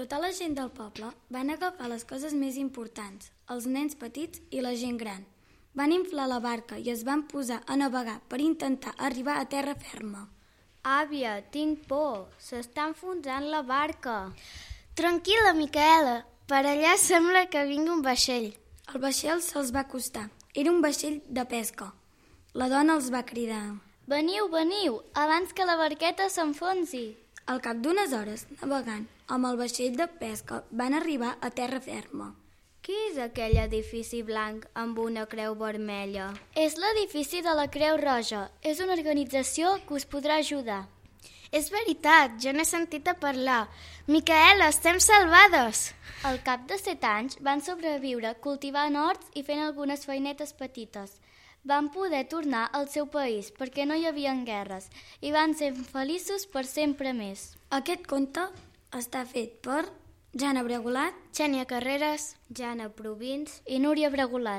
Tota la gent del poble van agafar les coses més importants, els nens petits i la gent gran. Van inflar la barca i es van posar a navegar per intentar arribar a terra ferma. Àvia, tinc por. S'està enfonsant la barca. Tranquil·la, Micaela. Per allà sembla que vingui un vaixell. El vaixell se'ls va acostar. Era un vaixell de pesca. La dona els va cridar. Veniu, veniu, abans que la barqueta s'enfonsi. Al cap d'unes hores, navegant amb el vaixell de pesca, van arribar a terra ferma. Què és aquell edifici blanc amb una creu vermella? És l'edifici de la Creu Roja. És una organització que us podrà ajudar. És veritat, jo n'he sentit a parlar. Micaela, estem salvades! Al cap de 7 anys van sobreviure cultivant horts i fent algunes feinetes petites. Van poder tornar al seu país perquè no hi havia guerres i van ser feliços per sempre més. Aquest conte està fet per Jana Bregolat, Xènia Carreras, Jana Provins i Núria Bregolat.